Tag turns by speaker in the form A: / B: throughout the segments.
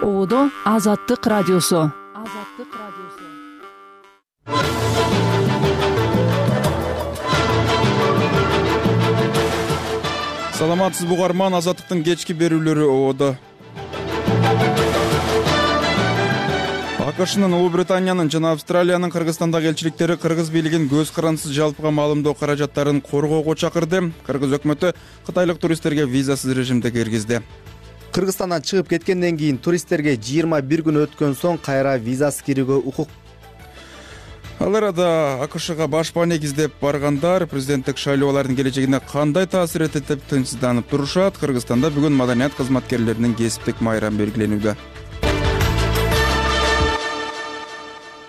A: Оодо Азаттык радиосу.
B: Саламатсызбы угарман, Азаттыктын кечки берүүлөрү Оодо. АКШнын, Улуу Британиянын жана Австралиянын Кыргызстандагы элчиликтери кыргыз бийлигин көз карандысыз жалпыга маалымдоо каражаттарын коргоого чакырды. Кыргыз өкмөтү кытайлык туристтерге визасыз режимде киргизди.
C: Кыргызстандан чыгып кеткенден кийин туристтерге 21 күн өткөн соң кайра визасыз кирүүгө укук.
B: Ал арада АКШга башпаа негиздеп баргандар президенттик шайлоолордун келечегине кандай таасир этет деп тынчсызданып турушат. Кыргызстанда бүгүн маданият кызматкерлеринин кесиптик майрамы белгиленүүдө.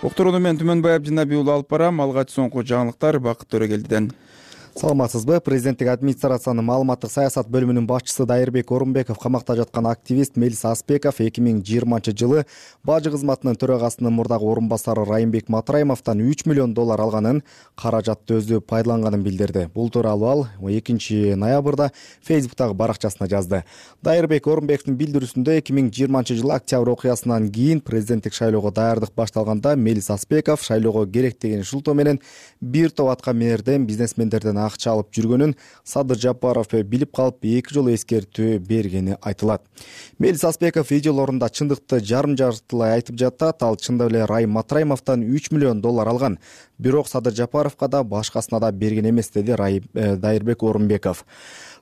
B: Уктурууну мен Түмөнбай Абдинаби уулу алып барам. Алгач соңку жаңылыктар Бакыт Төрөгелдиден.
C: Саламатсызбы? Президенттик администрациянын маалыматтык саясат бөлүмүнүн башчысы Дайырбек Орунбеков камакта жаткан активист Мелис Аспеков 2020-жылы бажы кызматынын төрагасынын мурдагы орун басары Райымбек Матраимовдон 3 миллион доллар алганын, каражатты өзү пайдаланганын билдирди. Бул тууралуу ал 2-ноябрда Facebook'тагы баракчасына жазды. Дайырбек Орунбековдун билдирүүсүндө 2020-жылы октябрь окуясынан кийин президенттик шайлоого даярдык башталганда Мелис Аспеков шайлоого керек деген шылтоо менен бир топ атка минерден бизнесмендерден акча алып жүргөнүн Садыр Жапаров билип калып 2 жолу эскертүү бергени айтылат. Мелис Аспеков видеолорунда чындыкты жарым-жартылай айтып жатат. Ал чындап эле Райым Матраимовдон 3 миллион доллар алган. Бирок Садыр Жапаровго да башкасына да берген эмес, деди Дайырбек Орунбеков.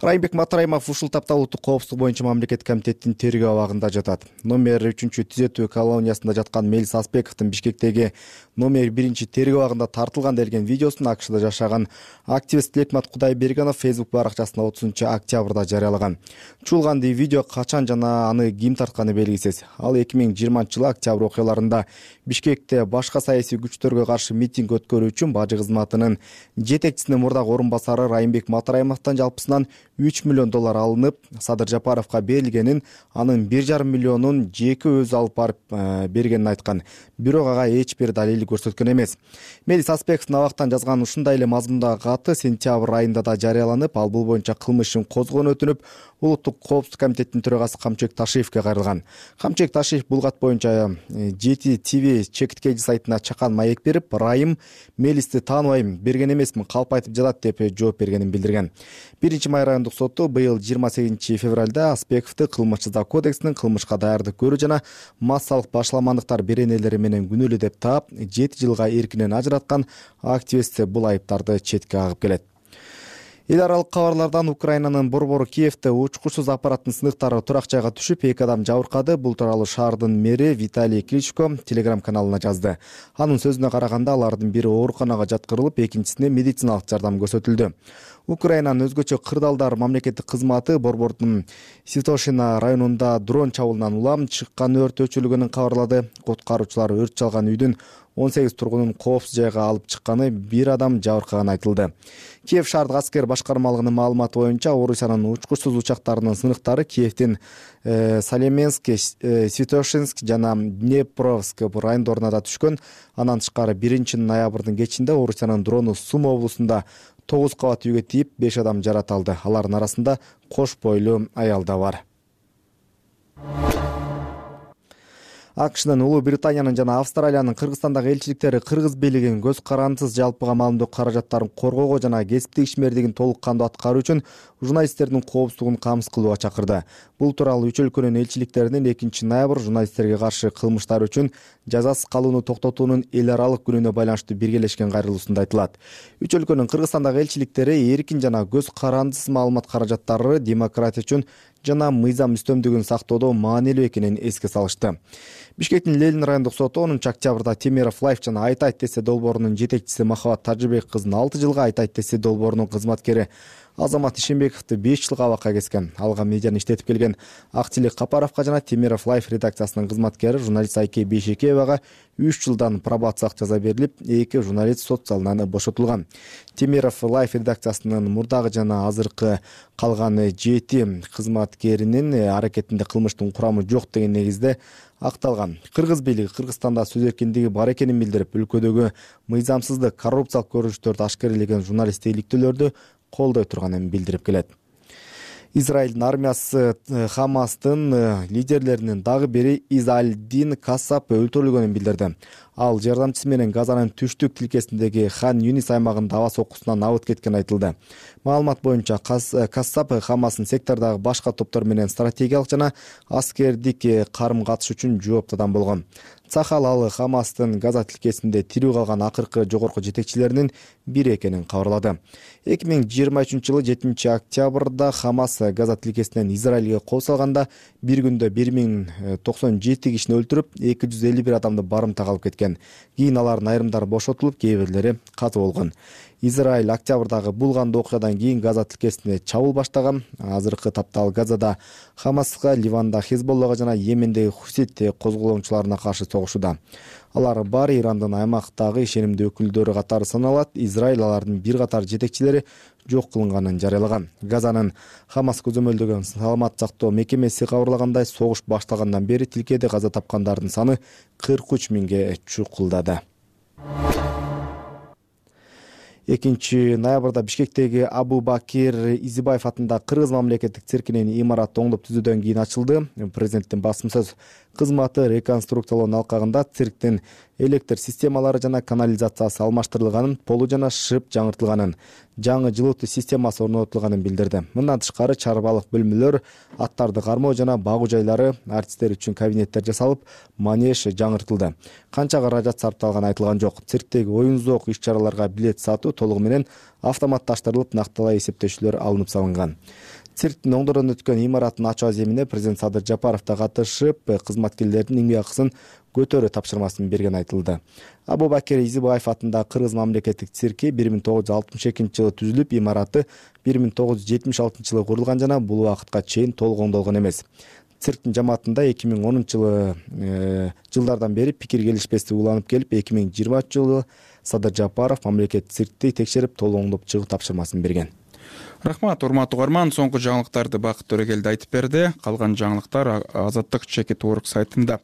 C: Райымбек Матраимов ушул тапта улуттук коопсуздук боюнча мамлекеттик комитеттин тергөө абагында жатат. Номер 3-түзөтүү колониясында жаткан Мелис Аспековдун Бишкектеги номер 1 тергөө абагында тартылган делген видеосун АКШда жашаган активист Тилекмат Кудайбергенов Facebook баракчасына 30-октябрда жарыялаган. Чуулган видео качан жана аны ким тартканы белгисиз. Ал 2020-жылы октябрь окуяларында Бишкекте башка саясий күчтөргө каршы митинг өткөрүү үчүн бажы кызматынын жетекчисинин мурдагы орун басары Райымбек Матраимовдон жалпысынан 3 миллион доллар алынып, Садыр Жапаровго берилгенин, анын 1,5 миллионун жеке өзү алып барып бергенин айткан. Бирок ага эч бир далил көрсөткөн эмес. Мелис Аспековдун абактан жазган ушундай эле мазмундагы каты сентябрь айында да жарыяланып, ал бул боюнча кылмыш ишин козгоonu өтүнүп, улуттук коопсуздук комитетинин төрагасы Камчыбек Ташиевге кайрылган. Камчыбек Ташиев бул кат боюнча Жети ТВ чекиткеji сайтына чакан маек берип, Райым Мелисти тааныбайм, берген эмесмин, калп айтып жатат деп жооп бергенин билдирген. 1-май райондук соту быйыл 28-февралда Аспековду кылмыш-жаза кодексинин кылмышка даярдык көрүү жана массалык башаламандыктар беренелери менен күнөөлүү деп таап, 7 жылга эркинен ажыраткан. Активист бул айыптарды четке кагып келет. Эл аралык кабарлардан Украинанын борбору Киевде учкучсуз аппараттын сыныктары турак жайга түшүп, 2 адам жабыркады. Бул тууралуу шаардын мэри Виталий Кличко Telegram каналына жазды. Анын сөзүнө караганда, алардын бири ооруканага жаткырылып, экинчисине медициналык жардам көрсөтүлдү. Украинанын өзгөчө кырдаалдар мамлекеттик кызматы борбордун Святошина районунда дрон чабуулунан улам чыккан өрт өчүрүлгөнүн кабарлады. Куткаруучулар өрт чалган үйдүн 18 тургунун коопсуз жайга алып чыкканы, 1 адам жабыркаганы айтылды. Киев шаардык аскер башкармалыгынын маалыматы боюнча, Орусиянын учкучсуз учактарынын сыныктары Киевдин Салеменск, Святошинск жана Днепровск райондоруна да түшкөн. Андан тышкары 1-ноябрдын кечинде Орусиянын дрону Сум облусунда 9 кабат үйгө тийип, 5 адам жарат алды. Алардын арасында кош бойлуу аял да бар. АКШнын, Улуу Британиянын жана Австралиянын Кыргызстандагы элчиликтери кыргыз бийлигин көз карандысыз жалпыга маалымдоо каражаттарын коргоого жана кесиптик ишмердигин толук кандуу аткаруу үчүн журналисттердин коопсуздугун камсыз кылууга чакырды. Бул тууралуу үч өлкөнүн элчиликтеринин 2-ноябрь журналисттерге каршы кылмыштар үчүн жазасыз калууну токтотуунун эл аралык күнүнө байланыштуу биргелешкен кайрылуусунда айтылат. Үч өлкөнүн Кыргызстандагы элчиликтери эркин жана көз карандысыз маалымат каражаттары демократия үчүн жана мыйзам үстөмдүгүн сактоодо маанилүү экенин эске салышты. Бишкектин Ленин райондук соту 10-октябрда Темиров Лайф жана Айта Айтесе долбоорунун жетекчиси Махабат Тажыбек кызын 6 жылга, Айта Айтесе долбоорунун кызматкери Азамат Ишембековду 5 жылга абакка кескен. Алга медианы иштетип келген Актилек Капаровго жана Темиров Лайф редакциясынын кызматкери журналист Айке Бейшекеевага 3 жылдан пробациялык жаза берилип, 2 журналист сот залынан бошотулган. Темиров Лайф редакциясынын мурдагы жана азыркы калган 7 кызматкеринин аракетинде кылмыштын курамы жок деген негизде акталган. Кыргыз бийлиги Кыргызстанда сөз эркиндиги бар экенин билдирип, өлкөдөгү мыйзамсыздык, коррупциялык көрүнүштөрдү ашкерелеген журналисттик иликтөөлөрдү колдой турганын билдирип келет. Израилдин армиясы Хамастын лидерлеринин дагы бири Изалдин Кассап өлтүрүлгөнүн билдирди. Ал жардамчысы менен Газанын түштүк тилкесиндеги Хан Юнис аймагында аба соккусунан абыт кеткен айтылды. Маалымат боюнча Кассап Хамастын сектордагы башка топтор менен стратегиялык жана аскердик карым-катыш үчүн жооптуу адам болгон. Цахал ал Хамастын Газа тилкесинде тирүү калган акыркы жогорку жетекчилеринин бири экенин кабарлады. 2023-жылы 7-октябрда Хамас Газа тилкесинен Израилге кол салганда бир күндө 1097 кишини өлтүрүп, 251 адамды барымтага алып кеткен. Кийин алардын айрымдары бошотулуп, кээ бирлери каза болгон. Израиль октябрдагы бул кандуу окуядан кийин Газа тилкесине чабуул баштаган. Азыркы тапта ал Газада Хамаска, Ливанда Хизболлага жана Йемендеги Хусит козголоочуларына каршы согушууда. Алар баары Ирандын аймактагы ишенимдүү өкүлдөрү катары саналат. Израиль алардын бир катар жетекчилери жок кылынганын жарыялаган. Газанын Хамас көзөмөлдөгөн саламат сактоо мекемеси кабарлагандай, согуш башталгандан бери тилкеде каза тапкандардын саны 43 миңге чукулдады. 2-ноябрда Бишкектеги Абу Бакир Изибаев атындагы Кыргыз мамлекеттик циркинин имараты оңдоп түзүүдөн кийин ачылды. Президенттин басым сөз кызматы реконструкциялоонун алкагында цирктин электр системалары жана канализациясы алмаштырылганын, полу жана шып жаңыртылганын, жаңы жылытуу системасы орнотулганын билдирди. Мындан тышкары чарбалык бөлмөлөр, аттарды кармоо жана багуу жайлары, артисттер үчүн кабинеттер жасалып, манеж жаңыртылды. Канча каражат сарпталганы айтылган жок. Цирктеги оюн-зоок иш-чараларга билет сатуу толугу менен автоматташтырылып, накталай эсептөөчүлөр алынып салынган. Цирктин оңдордон өткөн имараттын ачуу аземине президент Садыр Жапаров да катышып, кызматкерлердин эмгек акысын көтөрүү тапшырмасын берген айтылды. Абу Бакир Изибаев атындагы Кыргыз мамлекеттик цирки 1962-жылы түзүлүп, имараты 1976-жылы курулган жана бул убакытка чейин толук оңдолгон эмес. Цирктин жамаатында 2010-жылдардан бери пикир келишпестик уланып келип, 2020-жылы Садыр Жапаров мамлекеттик циркти текшерип, толук оңдоп чыгуу тапшырмасын берген.
B: Рахмат, урматтуу угарман. Соңку жаңылыктарды Бакыт Төрөгелди айтып берди. Калган жаңылыктар Азаттык Чекит.org сайтында.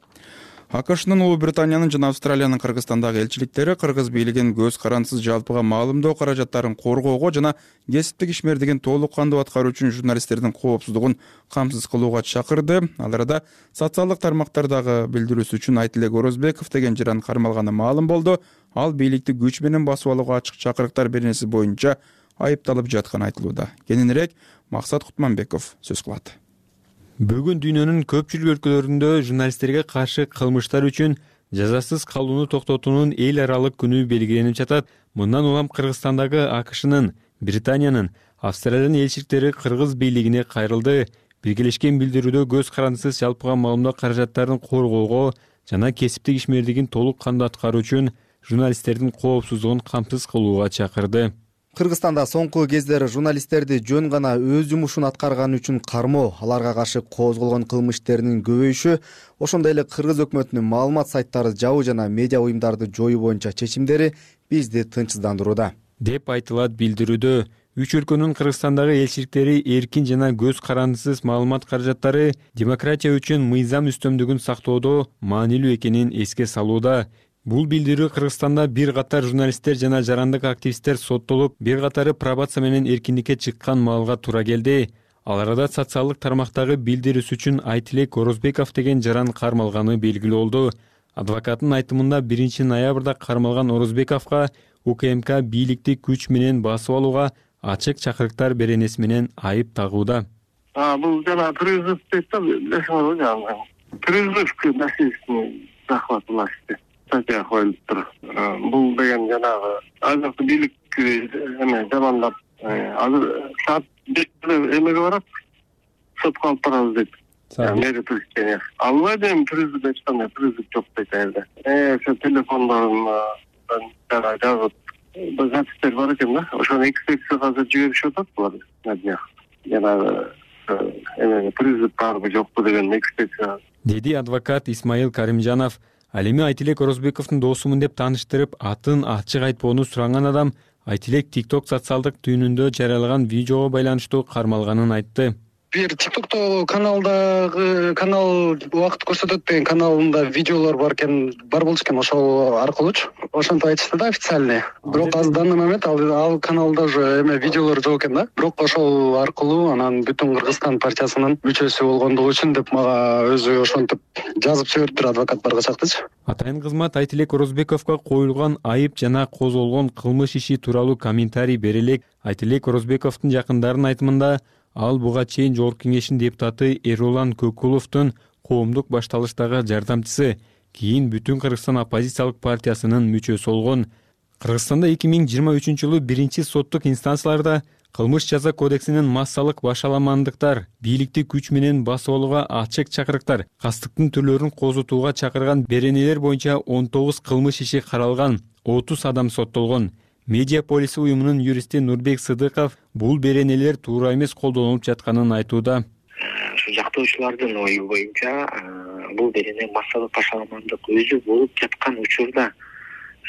B: АКШнын, Улуу Британиянын жана Австралиянын Кыргызстандагы элчиликтери кыргыз бийлигин көз карансыз жалпыга маалымдоо каражаттарын коргоого жана кесиптик ишмердигин толук кандуу аткаруу үчүн журналисттердин коопсуздугун камсыз кылууга чакырды. Ал арада социалдык тармактардагы билдирүүсү үчүн Айтилек Орозбеков деген жыран кармалганы маалым болду. Ал бийликти күч менен басып алууга ачык чакырыктар беренеси боюнча айыпталып жатканы айтылууда. Кененирээк Максат Кутманбеков сөз кылат.
D: Бүгүн дүйнөнүн көпчүлүк өлкөлөрүндө журналисттерге каршы кылмыштар үчүн жазасыз калууну токтотуунун эл аралык күнү белгиленип жатат. Мындан улам Кыргызстандагы АКШнын, Британиянын, Австралиянын элчиликтери кыргыз бийлигине кайрылды. Биргелешкен билдирүүдө көз карансыз жалпыга маалымдоо каражаттарын коргоого жана кесиптик ишмердигин толук кандуу аткаруу үчүн журналисттердин коопсуздугун камсыз кылууга чакырды.
C: Кыргызстанда соңку кездери журналисттерди жөн гана өз жумушун аткарганы үчүн кармоо, аларга каршы козголгон кылмыш иштеринин көбөйүшү, ошондой эле кыргыз өкмөтүнүн маалымат сайттары жабуу жана медиа уюмдарды жоюу боюнча чечимдери бизди тынчсыздандырууда,
D: деп айтылат билдирүүдө. Үч өлкөнүн Кыргызстандагы элчиликтери эркин жана көз карансыз маалымат каражаттары демократия үчүн мыйзам үстөмдүгүн сактоодо маанилүү экенин эске салууда. Бул билдирүү Кыргызстанда бир катар журналисттер жана жарандык активисттер соттолуп, бир катары пробация менен эркиндикке чыккан маалга туура келди. Ал арада социалдык тармактагы билдирүүсү үчүн Айтилек Орозбеков деген жаран кармалганы белгилүү болду. Адвокаттын айтымында 1-ноябрда кармалган Орозбековго УКМК бийликти күч менен басып алууга ачык чакырыктар беренеси менен айып тагууда.
E: Бул жана призыв дейт да, лешиңер жана. Призывки маселесин захват власти. Статья коюлуптур. Бул деген жанагы азыркы бийлик жамандап, азыр саат 5 эмеге барат, сотко алып барабыз дейт. Мэри президент. Албай дейм, призыв эч кандай призыв жок дейт элде. Ошо телефондорун жазып, запистер бар экен да. Ошону экспертизага азыр жиберишип атат булар. Жанагы призыв барбы жокпу деген экспертиза.
D: Деди адвокат Исмаил Каримжанов. Ал эми Айтилек Орозбековдун досумун деп тааныштырып, атын ачык айтпоону суранган адам Айтилек TikTok социалдык түйүнүндө жарыялаган видеого байланыштуу кармалганын айтты.
F: бир TikTok'то канал убакыт көрсөтөт деген каналында видеолор бар болчу экен, ошол аркылуучу ошентип айтышты да официальный. Бирок азыр данный момент ал каналда уже видеолор жок экен да. Бирок ошол аркылуу анан бүтүн Кыргызстан партиясынын мүчөсү болгондугу үчүн деп мага өзү ошентип жазып жибериптир адвокаттарга чактычы.
D: Атайын кызмат Айтилек Орозбековго коюлган айып жана козголгон кылмыш иши тууралуу комментарий бере элек Айтилек Орозбековдун жакындарынын айтымында ал буга чейин Жогорку Кеңештин депутаты Эрулан Көкуловдун коомдук башталыштагы жардамчысы, кийин бүтүн Кыргызстан оппозициялык партиясынын мүчөсү болгон. Кыргызстанда 2023-жылы биринчи соттук инстанцияларда кылмыш жаза кодексинин массалык башаламандыктар, бийликти күч менен басып алууга ачык чакырыктар, кастыктын түрлөрүн козутууга чакырган беренелер боюнча 19 кылмыш иши каралган, 30 адам соттолгон. Медиаполис уюмунун юристи Нурбек Сыдыков бул беренелер туура эмес колдонулуп жатканын айтууда.
G: Жактоочулардын ою боюнча бул берене массалык башаламандык өзү болуп жаткан учурда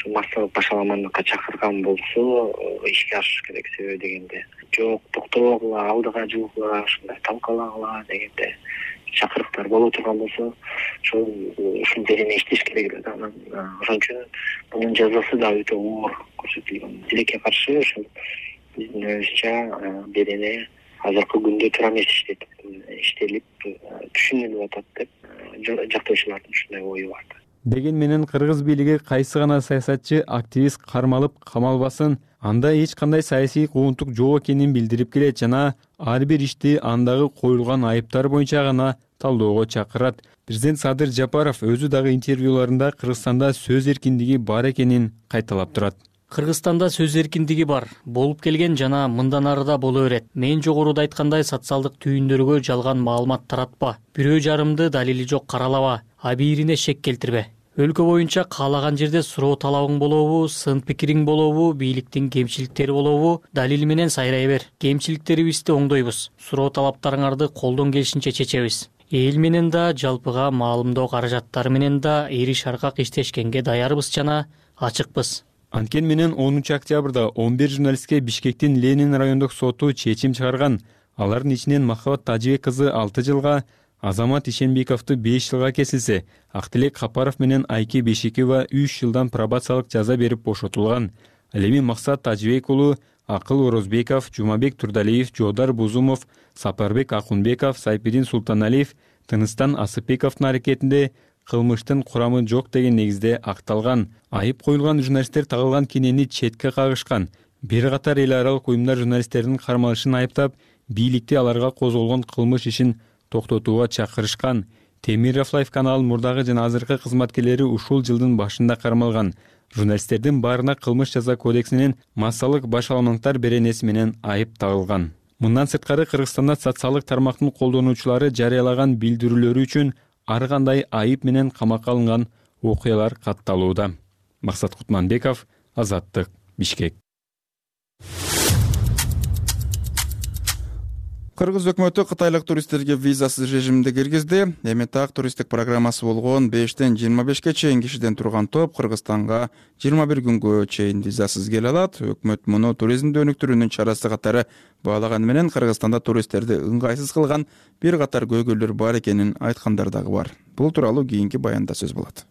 G: массалык башаламандыкка чакырган болсо ишке ашыш керек. Себеби дегенде жок токтобогула, алдыга жылгыла, ушундай талкалагыла дегенде чакырыктар боло турган болсо ушул берене иштеш керек эле. Анан ошон үчүн мунун жазасы да өтө оор көрсөтүлгөн. Тилекке каршы ошол биздин оюбузча берене азыркы күндө туура эмес иштелип түшүнүлүп атат деп жактоочулардын ушундай ою бар.
D: Деген менен кыргыз бийлиги кайсы гана саясатчы, активист кармалып камалбасын, анда эч кандай саясий куугунтук жок экенин билдирип келет жана ар бир ишти андагы коюлган айыптар боюнча гана талоого чакырат. Президент Садыр Жапаров өзү дагы интервьюларында Кыргызстанда сөз эркиндиги бар экенин кайталап турат.
H: Кыргызстанда сөз эркиндиги бар, болуп келген жана мындан ары да боло берет. Мен жогоруда айткандай социалдык түйүндөргө жалган маалымат таратпа, бирөө жарымды далили жок каралаба, абийирине шек келтирбе. Өлкө боюнча каалаган жерде суроо талабың болобу, сын пикириң болобу, бийликтин кемчиликтери болобу, далил менен сайрай бер. Кемчиликтерибизди оңдойбуз. Суроо талаптарыңарды колдон келишинче чечебиз. Эл менен да, жалпыга маалымдоо каражаттары менен да эри шаркак иштешкенге даярбыз жана ачыкпыз.
D: Анткени менен 10 октябрда 11 журналистке Бишкектин Ленин райондук соту чечим чыгарган. Алардын ичинен Махабат Тажибек кызы 6 жылга, Азамат Ишенбековду 5 жылга кесилсе, Актилек Капаров менен Айке Бешекова 3 жылдан пробациялык жаза берип бошотулган. Ал эми Максат Тажибек уулу, Акыл Орозбеков, Жумабек Турдалиев, Жодар Бузумов, Сапарбек Акунбеков, Сайпидин Султаналиев, Тыныстан Асыпбековдун аракетинде кылмыштын курамы жок деген негизде акталган. Айып коюлган журналисттер тагылган кенени четке кагышкан. Бир катар эл аралык уюмдар журналисттердин кармалышын айыптап, бийликти аларга козголгон кылмыш ишин токтотууга чакырышкан. Темиров Лайф каналынын мурдагы жана азыркы кызматкерлери ушул жылдын башында кармалган. Журналисттердин баарына кылмыш жаза кодексинин массалык башаламандыктар беренеси менен айып тагылган. Мындан сырткары Кыргызстанда социалдык тармактын колдонуучулары жарыялаган билдирүүлөрү үчүн ар кандай айып менен камакка алынган окуялар катталууда. Максат Кутманбеков, Азаттык, Бишкек.
B: Кыргыз өкмөтү кытайлык туристтерге визасыз режимде киргизди. Эми так туристтик программасы болгон 5-тен 25-ке чейин кишиден турган топ Кыргызстанга 21 күнгө чейин визасыз келе алат. Өкмөт муну туризмди өнүктүрүүнүн чарасы катары баалаганы менен Кыргызстанда туристтерди ыңгайсыз кылган бир катар көйгөйлөр бар экенин айткандар дагы бар. Бул тууралуу кийинки баянда сөз болот.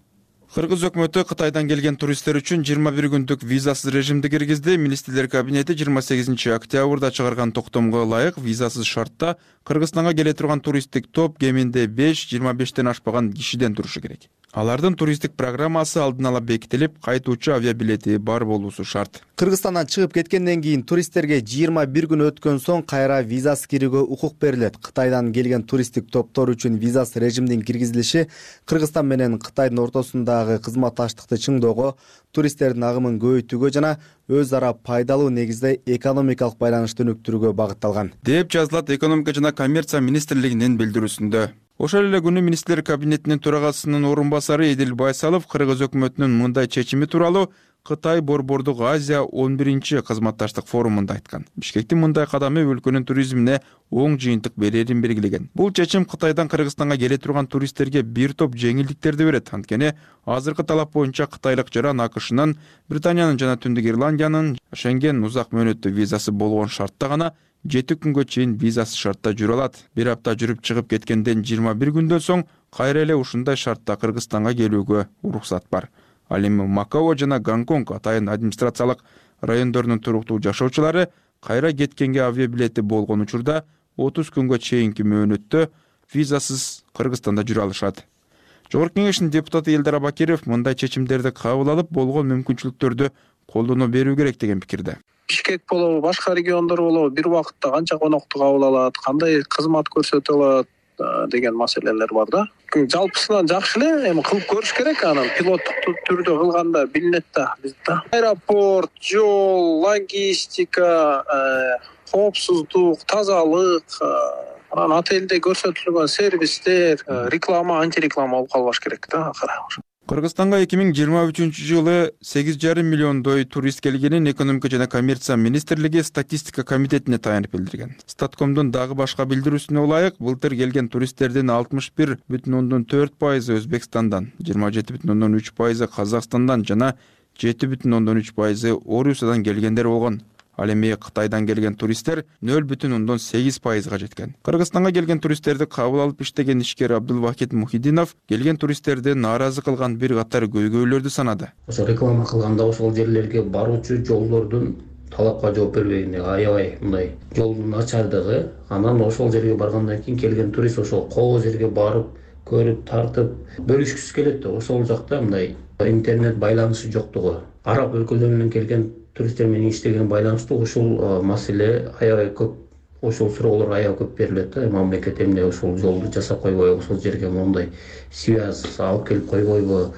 B: Кыргыз өкмөтү Кытайдан келген туристтер үчүн 21 күндүк визасыз режимди киргизди. Министрлер кабинети 28 октябрда чыгарган токтомго ылайык визасыз шартта Кыргызстанга келе турган туристтик топ кеминде 5-25тен ашпаган кишиден турушу керек. Алардын туристтик программасы алдын ала бекитилип, кайтуучу авиабилети бар болуусу шарт.
C: Кыргызстандан чыгып кеткенден кийин туристтерге 21 күн өткөн соң кайра визасыз кирүүгө укук берилет. Кытайдан келген туристтик топтор үчүн визасыз режимдин киргизилиши Кыргызстан менен Кытайдын ортосундагы кызматташтыкты чыңдөөгө, туристтердин агымын көбөйтүүгө жана өз ара пайдалуу негизде экономикалык байланышты өнүктүрүүгө багытталган,
B: деп жазылат Экономика жана коммерция министрлигинин билдирүүсүндө. Ошол эле күнү министрлер кабинетинин төрагасынын орун басары Эдил Байсалов Кыргыз өкмөтүнүн мындай чечими тууралуу Кытай Борбордук Азия 11-чи кызматташтык форумунда айткан. Бишкектин мындай кадамы өлкөнүн туризмине оң жыйынтык берерин белгилеген. Бул чечим Кытайдан Кыргызстанга келе турган туристтерге бир топ жеңилдиктерди берет. Анткени азыркы талап боюнча кытайлык жаран АКШнын, Британиянын жана Түндүк Ирландиянын Шенген узак мөөнөттүү визасы болгон шартта гана 7 күнгө чейин визасыз шартта жүрө алат. Бир апта жүрүп чыгып кеткенден 21 күндөн соң кайра эле ушундай шартта Кыргызстанга келүүгө уруксат бар. Ал эми Макао жана Гонконг атайын администрациялык райондорунун туруктуу жашоочулары кайра кеткенге авиабилети болгон учурда 30 күнгө чейинки мөөнөттө визасыз Кыргызстанда жүрө алышат. Жогорку Кеңештин депутаты Элдар Абакиров мындай чечимдерди кабыл алып, болгон мүмкүнчүлүктөрдү колдоно берүү керек деген пикирде.
I: Бишкек болобу, башка региондор болобу, бир убакытта канча конокту кабыл алат, кандай кызмат көрсөтө алат деген маселелер бар да. Жалпысынан жакшы эле, эми кылып көрүш керек, анан пилоттук түрдө кылганда билинет да бизде. Аэропорт, жол, логистика, коопсуздук, тазалык, анан отелде көрсөтүлгөн сервистер, реклама, антиреклама болуп калбаш керек да акыры.
B: Кыргызстанга 2023-жылы 8,5 миллиондой турист келгенин Экономика жана коммерция министрлиги статистика комитетине таянып билдирген. Статкомдун дагы башка билдирүүсүнө ылайык, былтыр келген туристтердин 61,4% Өзбекстандан, 27,3% Казакстандан жана 7,3% Орусиядан келгендер болгон. Ал эми Кытайдан келген туристтер 0,8%га жеткен. Кыргызстанга келген туристтерди кабыл алып иштеген ишкер Абдулвахид Мухиддинов келген туристтерди нааразы кылган бир катар көйгөйлөрдү санады.
J: Ошо реклама кылганда ошол жерлерге баруучу жолдордун талапка жооп бербегени, аябай мындай жолдун начардыгы, анан ошол жерге баргандан кийин келген турист ошол коо жерге барып, көрүп, тартып, бөлүшкүсү келет да. Ошол жакта мындай интернет байланышы жоктугу, араб өлкөлөрүнөн келген туристтер менен иштеген байланыштуу ушул маселе аябай көп, ошол суроолор аябай көп берилет да. Мамлекет эмне ошол жолду жасап койбойбу, ошол жерге моундай связь алып келип койбойбу,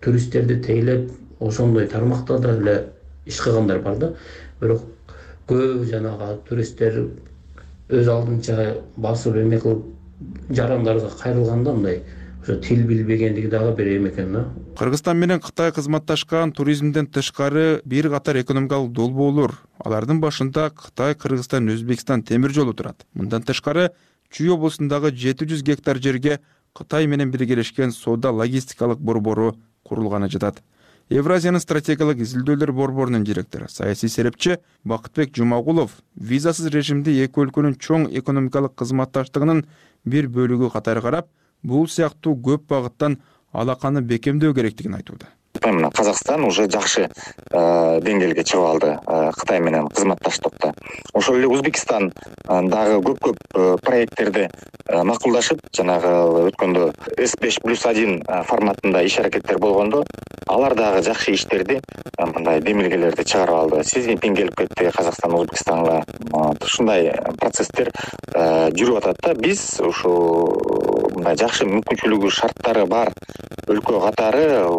J: туристтерди тейлеп ошондой тармакта да эле иш кылгандар бар да. Бирок көп жанагы туристтер өз алдынча басып эме кылып жарандарга кайрылганда мындай тил билбегендиги дагы бир эме экен да.
B: Кыргызстан менен Кытай кызматташкан туризмден тышкары бир катар экономикалык долбоорлор. Алардын башында Кытай, Кыргызстан, Өзбекстан темир жолу турат. Мындан тышкары Чүй облусундагы 700 гектар жерге Кытай менен биргелешкен соода логистикалык борбору курулганы жатат. Евразиянын стратегиялык изилдөөлөр борборунун директору, саясий серепчи Бакытбек Жумагулов визасыз режимди эки өлкөнүн чоң экономикалык кызматташтыгынын бир бөлүгү катары карап, бул сыяктуу көп багыттан алаканы бекемдөө керектигин айтууда.
G: Мына Казакстан уже жакшы деңгээлге чыгып алды Кытай менен кызматташтыкта. Ошол эле Өзбекстан дагы көп проекттерди макулдашып, жанагы өткөндө S5+1 форматында иш аракеттер болгондо, алар дагы жакшы иштерди, мындай демилгелерди чыгарып алды. Си Цзиньпин келип кетти Казакстан, Өзбекстанга. Ушундай процесстер жүрүп атат да. Биз ушу мындай жакшы мүмкүнчүлүгү, шарттары бар өлкө катары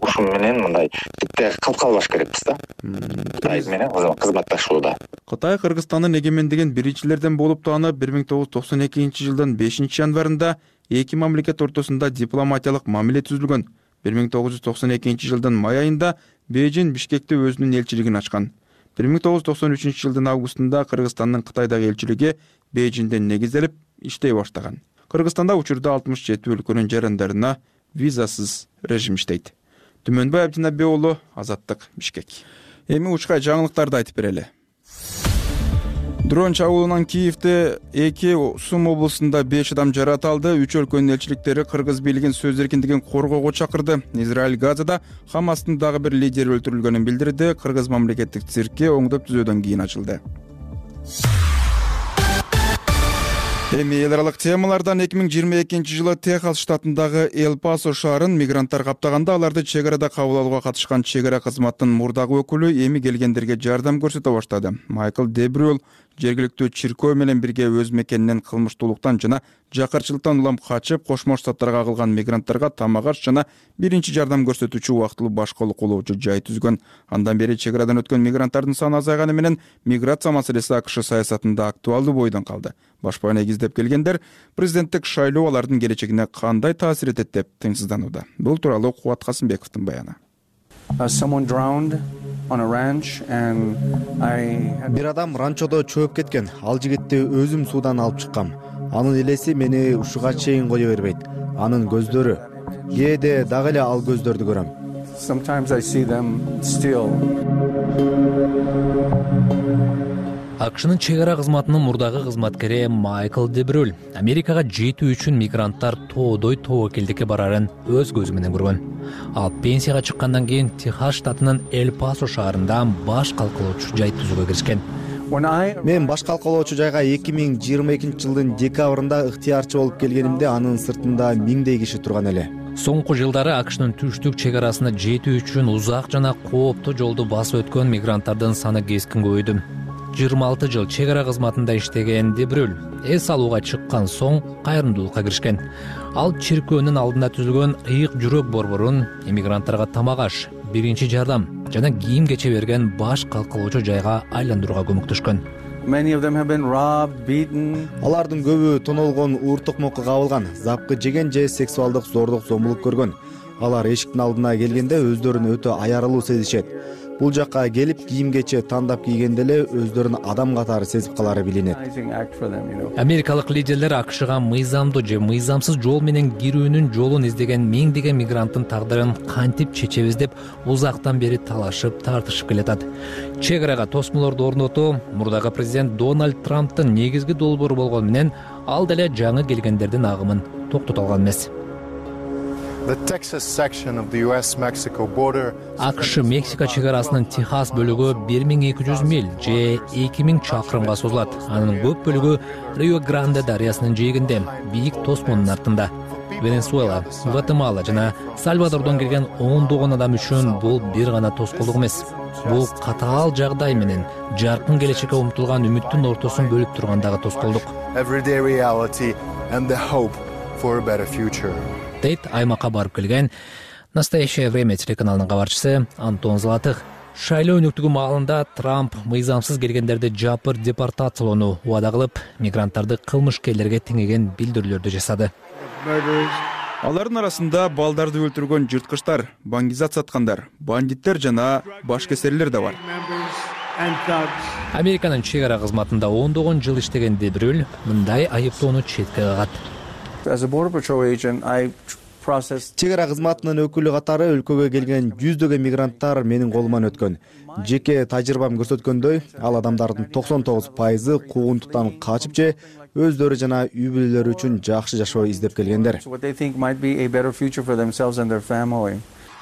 G: ушун менен мындай битте калып калбаш керекпиз да. Кытай менен кызматташууда.
B: Кытай Кыргызстандын эгемендигин биринчилерден болуп таанып, 1992-жылдын 5-январында эки мамлекет ортосунда дипломатиялык мамиле түзүлгөн. 1992-жылдын май айында Бейжин Бишкекте өзүнүн элчилигин ачкан. 1993-жылдын августунда Кыргызстандын Кытайдагы элчилиги Бейжинден негизделип иштей баштаган. Кыргызстанда учурда 67 өлкөнүн жарандарына визасыз режим иштейт. Түмөнбай Абдинабек уулу, Азаттык, Бишкек. Эми учкай жаңылыктарды айтып берели. Дрон чабуулунан Киевде 2 Сум облусунда 5 адам жаракат алды. 3 өлкөнүн элчиликтери кыргыз бийлигин сөз эркиндигин коргоого чакырды. Израиль Газада Хамастын дагы бир лидери өлтүрүлгөнүн билдирди. Кыргыз мамлекеттик циркке оңдоп түзөөдөн кийин ачылды. Эми эл аралык темалардан 2022-жылы Техас штатындагы Эл-Пасо шаарын мигранттар каптаганда аларды чек арада кабыл алууга катышкан чек ара кызматынын мурдагы өкүлү эми келгендерге жардам көрсөтө баштады. Майкл Дебрюэл жергиликтүү чиркөө менен бирге өз мекенинен кылмыштуулуктан жана жакырчылыктан улам качып, Кошмо Штаттарга агылган мигранттарга тамак аш жана биринчи жардам көрсөтүүчү убактылуу башкалык кылуучу жай түзгөн. Андан бери чек арадан өткөн мигранттардын саны азайганы менен миграция маселеси АКШ саясатында актуалдуу бойдон калды. Башпана эгиздеп келгендер президенттик шайлоо алардын келечегине кандай таасир этет деп тыңсызданууда. Бул тууралуу Кубат Касымбековдун баяны.
C: Бир адам ранчодо чөөп кеткен. Ал жигитти өзүм суудан алып чыккам. Анын элеси мени ушуга чейин кое бербейт. Анын көздөрү. Кээде дагы эле ал көздөрдү көрөм.
K: АКШнын чек ара кызматынын мурдагы кызматкери Майкл Дебрюль Америкага жетүү үчүн мигранттар тоодой тобокелдикке барарын өз көзү менен көргөн. Ал пенсияга чыккандан кийин Техас штатынын Эль-Пасо шаарында баш калкалоочу жай түзүүгө киришкен.
C: Мен баш калкалоочу жайга 2022-жылдын декабрында ыктыярчы болуп келгенимде анын сыртында миңдей киши турган эле.
K: Соңку жылдары АКШнын түштүк чек арасына жетүү үчүн узак жана кооптуу жолду басып өткөн мигранттардын саны кескин көбөйдү. 26 жыл чек ара кызматында иштеген Дебрюль эс алууга чыккан соң кайрымдуулукка киришкен. Ал чиркөөнүн алдында түзүлгөн ыйык жүрөк борборун эмигранттарга тамак аш, биринчи жардам жана кийим кече берген баш калкалоочу жайга айландырууга көмөктөшкөн.
C: Алардын көбү тонолгон, ууртукмокко кабылган, запкы жеген же сексуалдык зордук зомбулук көргөн. Алар эшиктин алдына келгенде өздөрүн өтө аярылуу сезишет. Бул жакка келип кийим кече тандап кийгенде эле өздөрүн адам катары сезип калары билинет.
K: Америкалык лидерлер АКШга мыйзамдуу же мыйзамсыз жол менен кирүүнүн жолун издеген миңдеген мигранттын тагдырын кантип чечебиз деп узактан бери талашып, тартышып келатат. Чек арага тосмолорду орнотуу мурдагы президент Дональд Трамптын негизги долбоору болгону менен ал деле жаңы келгендердин агымын токтото алган эмес. АКШ Мексика чек арасынын Техас бөлүгү 1200 миль же 2000 чакырымга созулат. Анын көп бөлүгү Рио Гранде дарыясынын жээгинде, бийик тосмонун артында. Венесуэла, Гватемала жана Сальвадордон келген ондогон адам үчүн бул бир гана тоскоолдук эмес. Бул катаал жагдай менен жаркын келечекке умтулган үмүттүн ортосун бөлүп турган дагы тоскоолдук. Дейт аймакка барып келген Настоящее время телеканалынын кабарчысы Антон Золотых. Шайлоо өнүктүгү маалында Трамп мыйзамсыз келгендерди жапыр депортациялоону убада кылып, мигранттарды кылмышкерлерге теңеген билдирүүлөрдү жасады.
B: Алардын арасында балдарды өлтүргөн жырткычтар, баңгизат саткандар, бандиттер жана башкесерлер да бар.
K: Американын чек ара кызматында ондогон жыл иштеген Дебрюль мындай айыптоону четке кагат.
C: Чек ара кызматынын өкүлү катары өлкөгө келген жүздөгөн мигранттар менин колуман өткөн. Жеке тажрыйбам көрсөткөндөй, ал адамдардын 99% куугунтуктан качып же өздөрү жана үй бүлөлөрү үчүн жакшы жашоо издеп келгендер.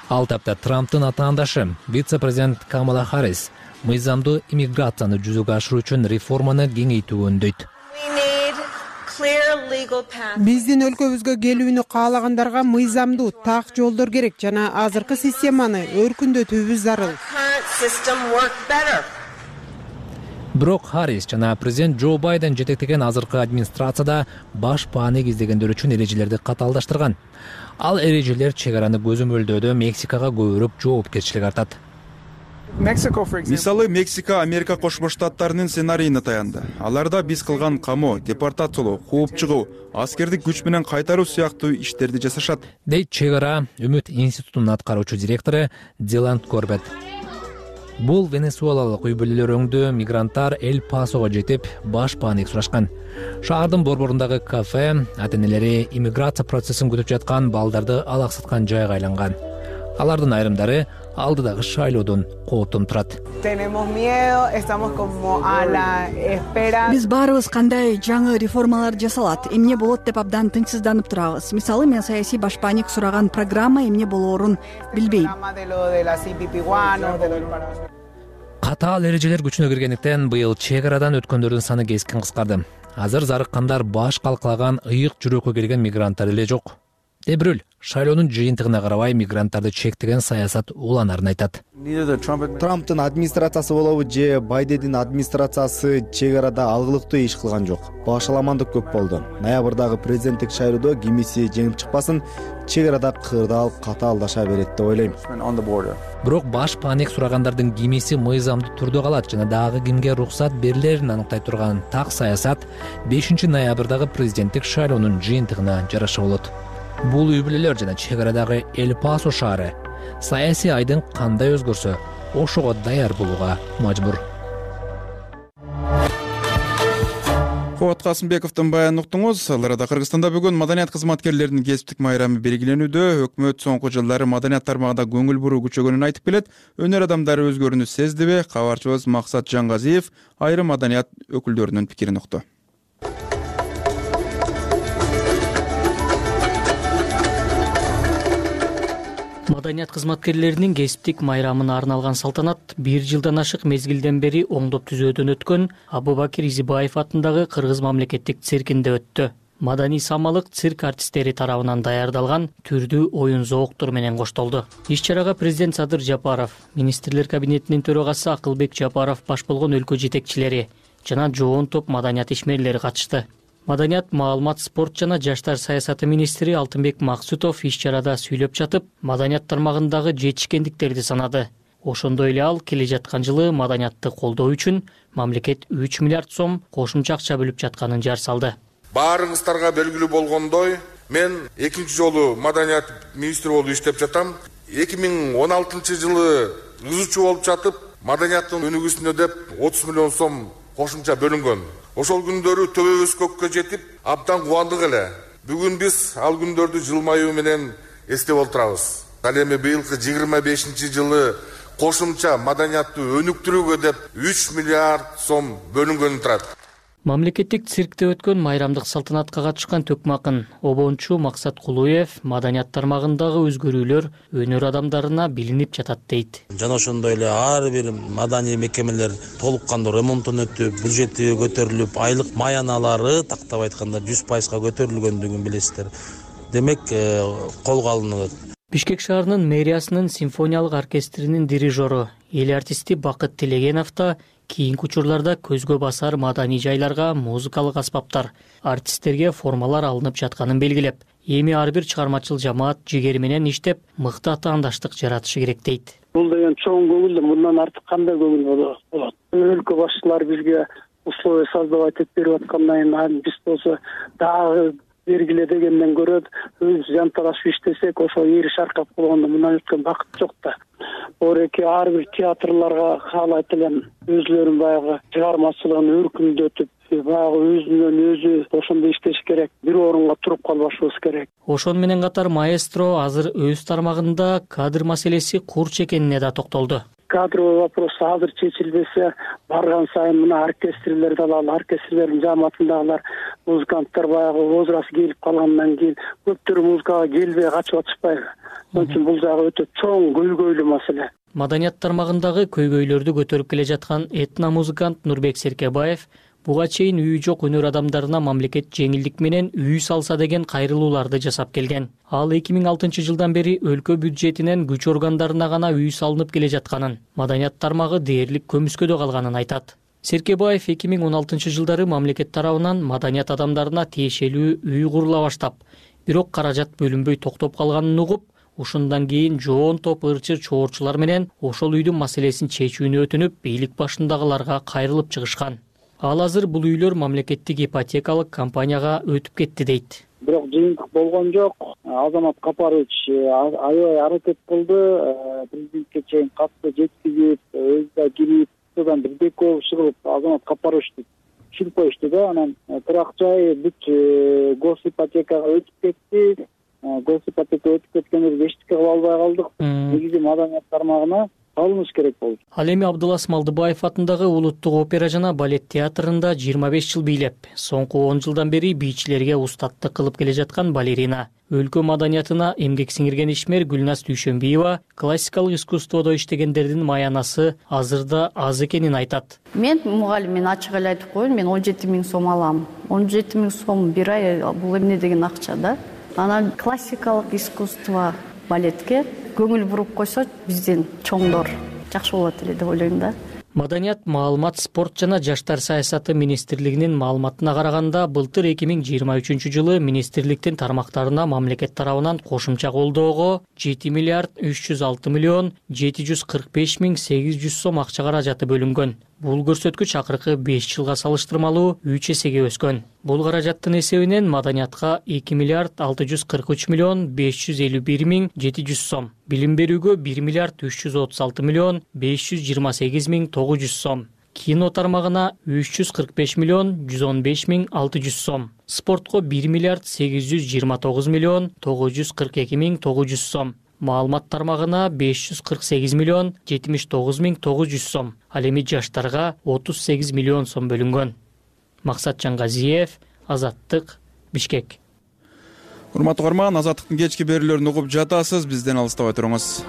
K: Ал тапта Трамптын атаандашы, вице-президент Камала Харрис мыйзамдуу иммиграцияны жүзөгө ашыруу үчүн реформаны кеңейтүүгө үндөйт.
L: Биздин өлкөбүзгө келүүнү каалагандарга мыйзамдуу так жолдор керек жана азыркы системаны өркүндөтүүбүз зарыл.
K: Бирок Харрис жана президент Джо Байден жетектеген азыркы администрацияда баш паанек издегендер үчүн эрежелерди катаалдаштырган. Ал эрежелер чек араны көзөмөлдөөдө Мексикага көбүрөөк жоопкерчилик артат.
B: Мисалы, Мексика Америка Кошмо Штаттарынын сценарийине таянды. Аларда биз кылган камоо, депортациялоо, кууп чыгуу, аскердик күч менен кайтаруу сыяктуу иштерди жасашат.
K: Дейт чек ара Үмүт институтунун аткаруучу директору Диланд Корбет. Бул венесуэлалык үй бүлөлөр өңдүү мигранттар Эль-Пасого жетип, баш паанек сурашкан. Шаардын борборундагы кафе ата-энелери иммиграция процессин күтүп жаткан балдарды алаксаткан жайга айланган. Алардын айрымдары алдыдагы шайлоодон кооптон турат.
A: Биз баарыбыз кандай жаңы реформалар жасалат, эмне болот деп абдан тынчсызданып турабыз. Мисалы, мен саясий башпаанек сураган программа эмне болоорун билбейм.
K: Катаал эрежелер күчүнө киргендиктен быйыл чек арадан өткөндөрдүн саны кескин кыскарды. Азыр зарыккандар баш калкалаган ыйык жүрөккө келген мигранттар эле жок. Дебрюль шайлоонун жыйынтыгына карабай мигранттарды чектеген саясат уланарын айтат.
C: Трамптын администрациясы болобу же Байдендин администрациясы чек арада алгылыктуу иш кылган жок. Башаламандык көп болду. Ноябрдагы президенттик шайлоодо кимиси жеңип чыкпасын, чек арада кырдаал катаалдаша берет деп ойлойм.
K: Бирок баш паанек сурагандардын кимиси мыйзамдуу түрдө калат жана дагы кимге уруксат берилерин аныктай турган так саясат 5 ноябрдагы президенттик шайлоонун жыйынтыгына жараша болот. Бул үй бүлөлөр жана чек арадагы Эль-Пасо шаары саясий айдын кандай өзгөрсө, ошого даяр болууга мажбур.
B: Мурат Касымбековдун баянын уктуңуз. Ал арада Кыргызстанда бүгүн маданият кызматкерлеринин кесиптик майрамы белгиленүүдө. Өкмөт соңку жылдары маданият тармагында көңүл буруу күчөгөнүн айтып келет. Өнөр адамдары өзгөрүүнү сездиби? Кабарчыбыз Максат Жангазиев айрым маданият өкүлдөрүнүн пикирин укту.
H: Маданият кызматкерлеринин кесиптик майрамына арналган салтанат 1 жылдан ашык мезгилден бери оңдоп түзөөдөн өткөн Абубакир Изибаев атындагы Кыргыз мамлекеттик циркинде өттү. Маданий самалык цирк артисттери тарабынан даярдалган түрдүү оюн зооктор менен коштолду. Иш-чарага президент Садыр Жапаров, министрлер кабинетинин төрагасы Акылбек Жапаров баш болгон өлкө жетекчилери жана жоон топ маданият ишмерлери катышты. Маданият, маалымат, спорт жана жаштар саясаты министри Алтынбек Максутов иш-чарада сүйлөп жатып, маданият тармагындагы жетишкендиктерди санады. Ошондой эле ал келе жаткан жылы маданиятты колдоо үчүн мамлекет 3 миллиард сом кошумча акча бөлүп жатканын жар салды.
M: Баарыңыздарга белгилүү болгондой, мен экинчи жолу маданият министри болуп иштеп жатам. 2016 жылы ызычуу болуп жатып, маданияттын өнүгүүсүнө деп 30 миллион сом кошумча бөлүнгөн. Ошол күндөрү төбөбүз көккө жетип, абдан кубандык эле. Бүгүн биз ал күндөрдү жылмаюу менен эстеп отурабыз. Ал эми быйылкы 25 жылы кошумча маданиятты өнүктүрүүгө деп 3 миллиард сом бөлүнгөнү турат.
H: Мамлекеттик циркте өткөн майрамдык салтанатка катышкан төкмакын обончу Максат Кулуев маданият тармагындагы өзгөрүүлөр өнөр адамдарына билинип жатат дейт.
N: Жана ошондой эле ар бир маданий мекемелер толук кандуу ремонттон өтүп, бюджети көтөрүлүп, айлык маяналары тактап айтканда 100% көтөрүлгөндүгүн билесиздер. Демек, колго алынат.
H: Бишкек шаарынын мэриясынын симфониялык оркестринин дирижеру, эл артисти Бакыт Телегенов да кийинки учурларда көзгө басар маданий жайларга музыкалык аспаптар, артисттерге формалар алынып жатканын белгилеп, эми ар бир чыгармачыл жамаат жигери менен иштеп, мыкты атаандаштык жаратышы керек дейт.
O: Бул деген чоң көңүл, мындан артык кандай көңүл болот? Өлкө башчылары бизге условия создавать этип берип аткандан биз болсо дагы бергиле дегенден көрө өз жанталашып иштесек, ошо эри шаркап болгондо мындан өткөн бакыт жок да. Ореки ар бир театрларга каалайт элем өзлөрүн баягы чыгармачылыгын өркүндөтүп, баягы өзүнөн өзү ошондой иштеш керек. Бир орунга туруп калбашыбыз керек.
H: Ошон менен катар маэстро азыр өз тармагында кадр маселеси курч экенине да токтолду.
O: Кадровый вопрос азыр чечилбесе, барган сайын мына оркестрлерди алалы, оркестрлердин жамаатындагылар, музыканттар баягы возраст келип калгандан кийин көптөр музыкага келбей качып атышпайбы? Ошон үчүн бул жагы өтө чоң көйгөйлүү маселе.
H: Маданият тармагындагы көйгөйлөрдү көтөрүп келе жаткан этномузыкант Нурбек Серкебаев буга чейин үйү жок өнөр адамдарына мамлекет жеңилдик менен үй салса деген кайрылууларды жасап келген. Ал 2006 жылдан бери өлкө бюджетинен күч органдарына гана үй салынып келе жатканын, маданият тармагы дээрлик көмүскөдө калганын айтат. Серкебаев 2016 жылдары мамлекет тарабынан маданият адамдарына тиешелүү үй курула баштап, бирок каражат бөлүнбөй токтоп калганын угуп, ушундан кийин жоон топ ырчы чоорчулар менен ошол үйдүн маселесин чечүүнү өтүнүп, бийлик башындагыларга кайрылып чыгышкан. Ал азыр бул үйлөр мамлекеттик ипотекалык компанияга өтүп кетти дейт.
O: Бирок жыйынтык болгон жок. Азамат Капарович аябай аракет кылды, президентке чейин катты жеткизип, өзү да кирип, содан бирдек болуп чыгып, Азамат Капаровичти чилип коюшту да. Анан турак жай бүт госипотекага өтүп кетти. Госипотека өтүп кеткенде эчтеке кыла албай калдык. Негизи маданият тармагына алыныш керек болду.
H: Ал эми Абдулас Малдыбаев атындагы Улуттук опера жана балет театрында 25 жыл бийлеп, соңку 10 жылдан бери бийчилерге устаттык кылып келе жаткан балерина. Өлкө маданиятына эмгек сиңирген ишмер Гүлназ Дүйшөнбиева классикалык искусстводо иштегендердин маянасы азырда аз экенин айтат.
P: Мен мугалим, мен ачык эле айтып коеюн, мен 17 000 сом алам. 17 000 сом бир ай, бул эмне деген акча да? Анан классикалык искусство балетке көңүл буруп койсо бизден чоңдор жакшы болот эле деп ойлойм да.
H: Маданият, маалымат, спорт жана жаштар саясаты министрлигинин маалыматына караганда, былтыр 2023 жылы министрликтин тармактарына мамлекет тарабынан кошумча колдоого 7 миллиард 306 миллион 745 миң 800 сом акча каражаты бөлүнгөн. Бул көрсөткүч акыркы 5 жылга салыштырмалуу 3 эсеге өскөн. Бул каражаттын эсебинен маданиятка 2 миллиард 643 миллион 551 миң 700 сом, билим берүүгө 1 миллиард 336 миллион 528 миң 900 сом, Кино тармагына 345 миллион 115 миң 600 сом, спортко 1 миллиард 829 миллион 942 миң 900 сом, маалымат тармагына 548 миллион 79 миң 900 сом, ал эми жаштарга 38 миллион сом бөлүнгөн. Максат Жаңгазиев, Азаттык, Бишкек.
B: Урматтуу угарман, Азаттыктын кечки берүүлөрүн угуп жатасыз, бизден алыстабай туруңуз.